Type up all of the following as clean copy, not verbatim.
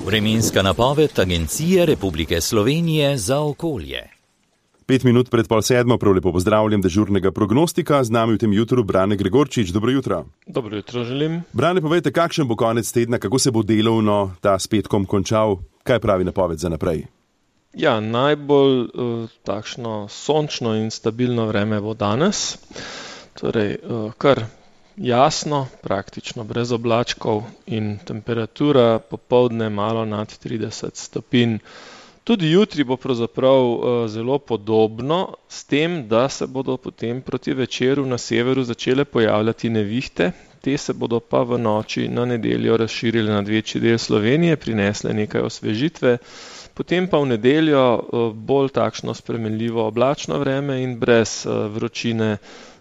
Vremenska napoved Agencije Republike Slovenije za okolje. 5 minut pred 6:30, prav lepo pozdravljam dežurnega prognostika, z nami v tem jutru Brane Gregorčič. Dobro jutro. Dobro jutro želim. Brane, povejte, kakšen bo konec tedna, kako se bo delovno ta s petkom končal, kaj pravi napoved za naprej? Ja, najbolj takšno sončno in stabilno vreme bo danes, torej kar jasno, praktično brez oblačkov in temperatura popoldne malo nad 30 stopinj. Tudi jutri bo pravzaprav zelo podobno, s tem, da se bodo potem proti večeru na severu začele pojavljati nevihte. Te se bodo pa v noči na nedeljo razširile nad večji del Slovenije, prinesle nekaj osvežitve, potem pa v nedeljo bolj takšno spremenljivo oblačno vreme in brez vročine.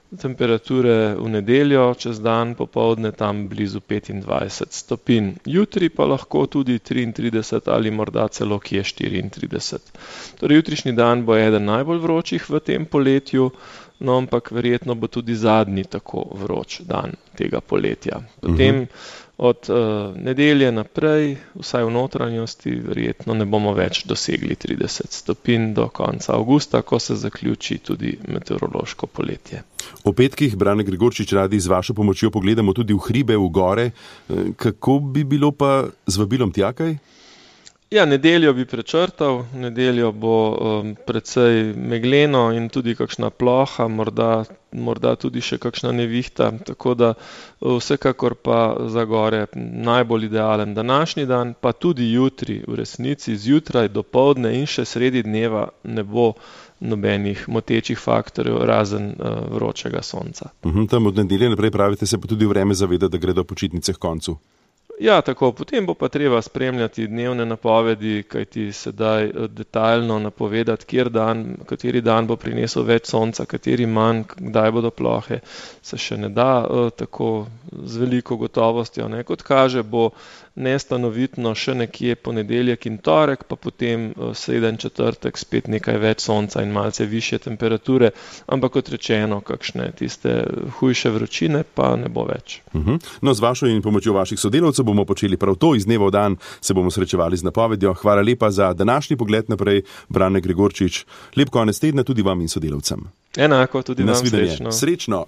Temperature v nedeljo, čez dan popoldne tam blizu 25 stopinj. Jutri pa lahko tudi 33 ali morda celo kje 34. Torej jutrišnji dan bo eden najbolj vročih v tem poletju, no ampak verjetno bo tudi zadnji tako vroč dan tega poletja. Potem od nedelje naprej, vsaj v notranjosti, verjetno ne bomo več dosegli 30 stopinj do konca avgusta, ko se zaključi tudi meteorološko poletje. O petkih, Brane Gregorčič, radi z vašo pomočjo pogledamo tudi v hribe, v gore. Kako bi bilo pa z vabilom tja kaj? Ja, nedeljo bi prečrtal, nedeljo bo precej megleno in tudi kakšna ploha, morda tudi še kakšna nevihta, tako da vsekakor pa za gore najbolj idealen današnji dan, pa tudi jutri, v resnici zjutraj, dopoldne in še sredi dneva ne bo nobenih motečih faktorjev, razen vročega sonca. Tam od nedelje naprej pravite, se pa tudi vreme zaveda, da gredo počitnice k koncu. Ja, tako, potem bo pa treba spremljati dnevne napovedi, kajti sedaj detaljno napovedati, kateri dan bo prinesel več sonca, kateri manj, kdaj bodo plohe, se še ne da tako z veliko gotovostjo. Kot kaže, bo nestanovitno še nekje ponedeljek in torek, pa potem sreden četrtek spet nekaj več sonca in malce višje temperature, ampak kot rečeno, kakšne tiste hujše vročine pa ne bo več. No, z vašo in pomočjo vaših sodelavcev bomo počeli prav to, iz dneva v dan se bomo srečevali z napovedjo. Hvala lepa za današnji pogled naprej, Brane Gregorčič. Lep konec tedna tudi vam in sodelavcem. Enako, tudi vam srečno.